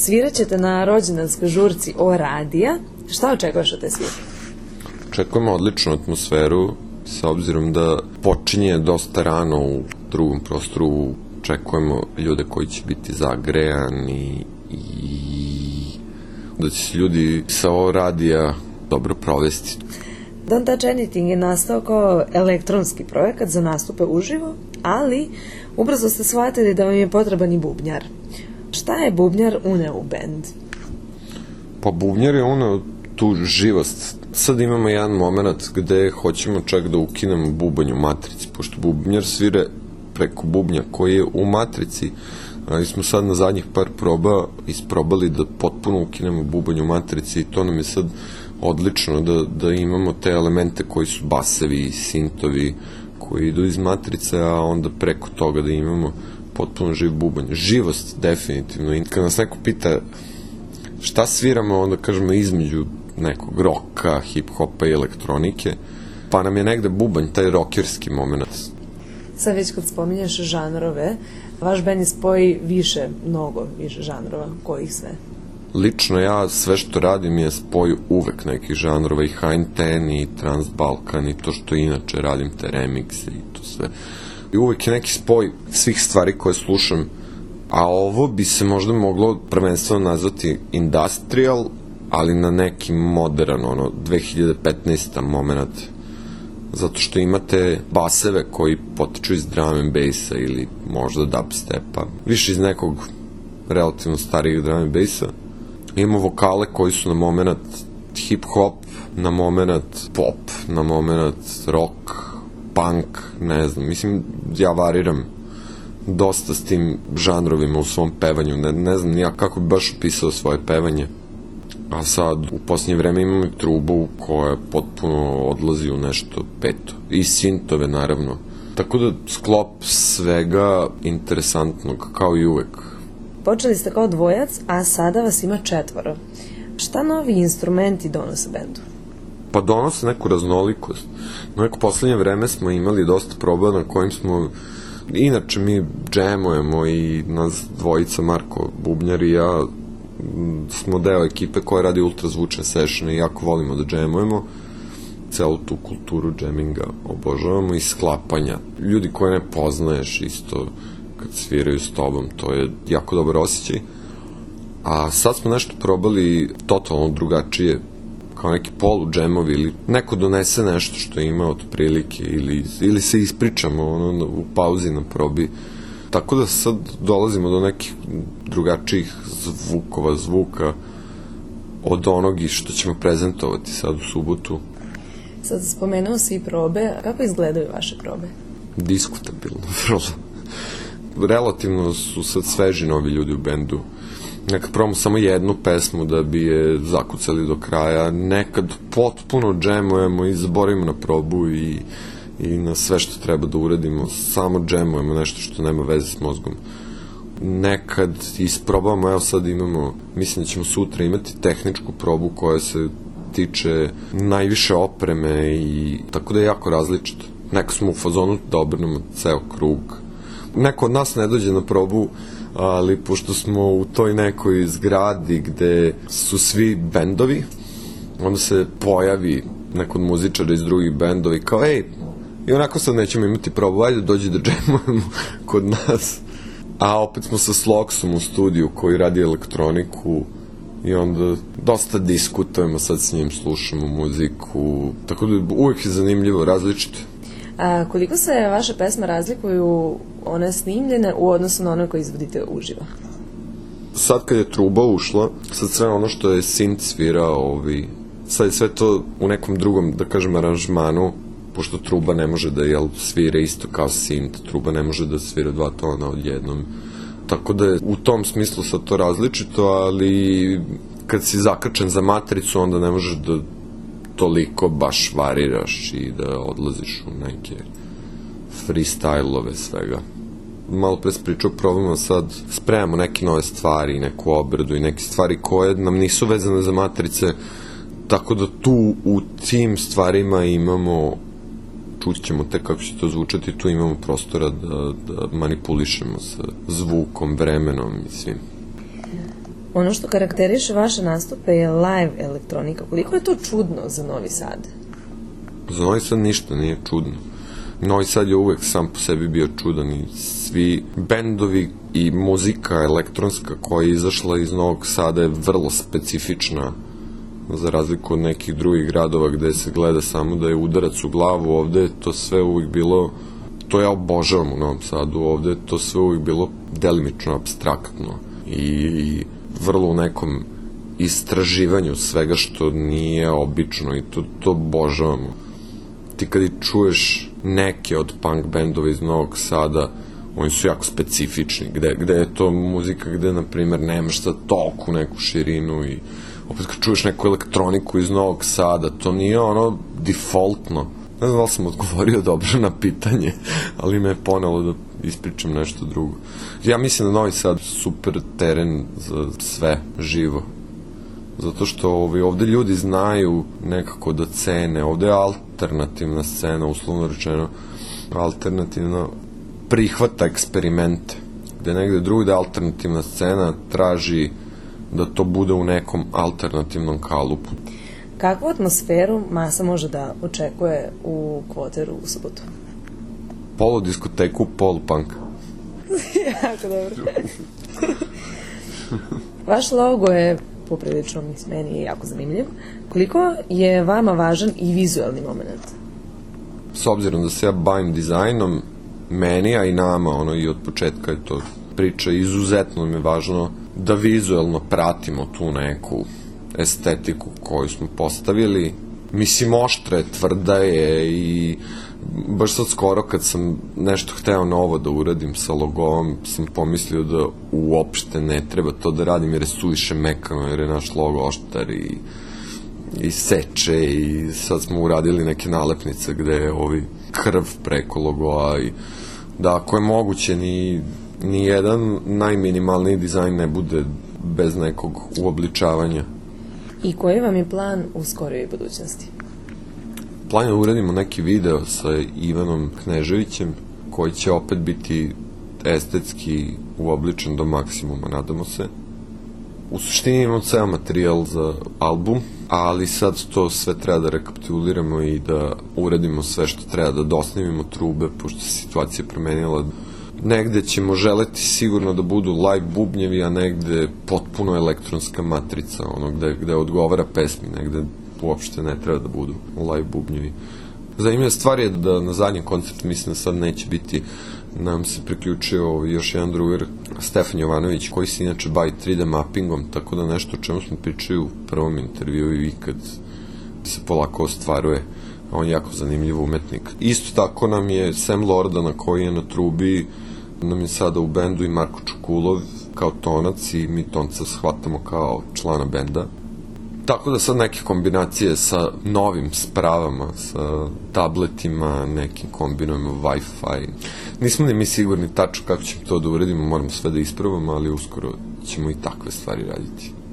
Svirat ćete na rođendanskoj žurci O radija. Šta očekuješ od te svire? Očekujemo odličnu atmosferu, sa obzirom da počinje dosta rano u drugom prostoru. Očekujemo ljude koji će biti zagrejani i da će se ljudi sa O radija dobro provesti. Don't Touch Anything je nastao kao elektronski projekat za nastupe uživo, ali ubrzo ste shvatili da vam je potreban i bubnjar. Šta je bubnjar uneo u bend? Pa bubnjar je uneo tu živost. Sad imamo jedan moment gde hoćemo čak da ukinemo bubanj u matrici, pošto bubnjar svire preko bubnja koji je u matrici, ali smo sad na zadnjih par proba isprobali da potpuno ukinemo bubanj u matrici i to nam je sad odlično da imamo te elemente koji su basevi i sintovi koji idu iz matrice, a onda preko toga da imamo potpuno živ bubanj. Živost definitivno. I kad nas neko pita šta sviramo, onda kažemo između nekog roka, hip-hopa i elektronike, pa nam je negde bubanj, taj rokerski moment. Sad već kad spominješ žanrove, vaš bend je spoj mnogo više žanrova, kojih sve? Lično ja sve što radim je spoj uvek nekih žanrova, i Hein Ten, i Transbalkan, i to što inače radim, te remikse i to sve. I uvek je neki spoj svih stvari koje slušam, a ovo bi se možda moglo prvenstveno nazvati industrial, ali na neki modern, 2015. moment, zato što imate baseve koji potiču iz drum and bassa ili možda dubstepa, više iz nekog relativno starijeg drum and bassa. Imamo vokale koji su na moment hip-hop, na moment pop, na moment rock, punk, ne znam. Mislim, ja variram dosta s tim žanrovima u svom pevanju. Ne znam nijak kako bi baš opisao svoje pevanje. A sad, u posljednje vreme imamo i trubu koja potpuno odlazi u nešto peto. I sintove, naravno. Tako da sklop svega interesantnog, kao i uvek. Počeli ste kao dvojac, a sada vas ima 4. Šta novi instrumenti donose bendu? Pa donose neku raznolikost. Na neko poslednje vreme smo imali dosta proba na kojim smo, inače mi džemujemo i nas dvojica, Marko Bubnjar i ja, smo deo ekipe koja radi ultrazvučne sessione i jako volimo da džemujemo. Celu tu kulturu džeminga obožavamo i sklapanja. Ljudi koje ne poznaješ isto kad sviraju s tobom, to je jako dobar osjećaj. A sad smo nešto probali totalno drugačije, kao neki polu džemovi ili neko donese nešto što ima od prilike ili se ispričamo u pauzi na probi. Tako da sad dolazimo do nekih drugačijih zvuka od onog što ćemo prezentovati sad u subotu. Sad spomenuo si i probe, kako izgledaju vaše probe? Diskutabilno, vrlo. Relativno su sad sveži novi ljudi u bendu. Nekad probamo samo jednu pesmu da bi je zakucali do kraja, nekad potpuno džemujemo i zaboravimo na probu i na sve što treba da uradimo, samo džemujemo nešto što nema veze s mozgom. Nekad isprobamo, evo sad imamo, mislim da ćemo sutra imati tehničku probu koja se tiče najviše opreme i tako da je jako različito. Neko smo u fazonu da obrnemo ceo krug. Neko od nas ne dođe na probu, ali pošto smo u toj nekoj zgradi gde su svi bendovi, onda se pojavi neko od muzičara iz drugih bendova i kao, ej, i onako sad nećemo imati probu, ajde dođi da džemujemo kod nas. A opet smo sa Sloksom u studiju koji radi elektroniku i onda dosta diskutujemo sad s njim, slušamo muziku, tako da uvijek je zanimljivo, različito. A koliko se vaše pesme razlikuju one snimljene u odnosu na one koje izvodite uživo? Sad kad je truba ušla, sad sve ono što je synth svirao, sad je sve to u nekom drugom, da kažem, aranžmanu, pošto truba ne može da svira isto kao synth, truba ne može da svira 2 tona odjednom. Tako da je u tom smislu sad to različito, ali kad si zakačen za matricu, onda ne možeš da toliko baš variraš i da odlaziš u neke freestyle-ove svega. Malo pre se pričao, probamo sad, spremamo neke nove stvari, neku obradu i neke stvari koje nam nisu vezane za matrice, tako da tu u tim stvarima imamo, čućemo te kako će to zvučati, tu imamo prostora da manipulišemo sa zvukom, vremenom i svim. Ono što karakteriše vaše nastupe je live elektronika. Koliko je to čudno za Novi Sad? Za Novi Sad ništa nije čudno. Novi Sad je uvek sam po sebi bio čudan i svi bendovi i muzika elektronska koja je izašla iz Novog Sada je vrlo specifična, za razliku od nekih drugih gradova gde se gleda samo da je udarac u glavu. Ovde je to sve uvijek bilo, to ja obožavam u Novom Sadu, ovde je to sve uvijek bilo delimično apstraktno i vrlo u nekom istraživanju svega što nije obično i to obožavamo. Ti kad i čuješ neke od punk bendova iz Novog Sada, oni su jako specifični, gde je to muzika gde, na primjer, nemaš sad toku neku širinu i opet kad čuješ neku elektroniku iz Novog Sada, to nije ono defaultno. Ne znam da li sam odgovorio dobro na pitanje, ali me je ponelo da ispričam nešto drugo. Ja mislim da Novi Sad super teren za sve živo. Zato što ovde ljudi znaju nekako da cene. Ovde je alternativna scena, uslovno rečeno, alternativno prihvata eksperimente. Gde negde drugde alternativna scena traži da to bude u nekom alternativnom kalupu. Kakvu atmosferu masa može da očekuje u Kvoteru u subotu? Polodiskoteku, polupunk. Jako dobro. Vaš logo je poprilično, meni je jako zanimljiv. Koliko je vama važan i vizualni moment? S obzirom da se ja bavim dizajnom, meni, a i nama, i od početka je to priča, izuzetno mi je važno da vizualno pratimo tu neku estetiku koju smo postavili. Mislim, oštra je, tvrda je i baš sad skoro kad sam nešto hteo novo da uradim sa logom, sam pomislio da uopšte ne treba to da radim jer je suviše mekano, jer je naš logo oštar i seče i sad smo uradili neke nalepnice gde je krv preko logoa i da ako je moguće ni jedan najminimalniji dizajn ne bude bez nekog uobličavanja. I koji vam je plan u skorijoj budućnosti? Plan je da uradimo neki video sa Ivanom Kneževićem koji će opet biti estetski uobličen do maksimuma, nadamo se. U suštini imamo ceo materijal za album, ali sad to sve treba da rekapituliramo i da uradimo sve što treba, da dosnimimo trube, pošto se situacija promenila. Negde ćemo želeti sigurno da budu live bubnjevi, a negde potpuno elektronska matrica, gde odgovara pesmi, negde uopšte ne treba da budu live bubnjevi. Zanimljiva stvar je da na zadnjem koncertu, mislim da sad neće biti, nam se priključio još jedan drugar, Stefan Jovanović, koji se inače bavi 3D mappingom, tako da nešto o čemu smo pričali u prvom intervju i kad se polako ostvaruje. On je jako zanimljiv umetnik. Isto tako nam je Sam Lordana, koji je na trubi, nam je sada u bendu i Marko Čukulov kao tonac i mi tonca shvatamo kao člana benda. Tako da sad neke kombinacije sa novim spravama, sa tabletima, nekim kombinujemo Wi-Fi. Nismo ni mi sigurni tačno kako ćemo to da uredimo, moramo sve da ispravamo, ali uskoro ćemo i takve stvari raditi.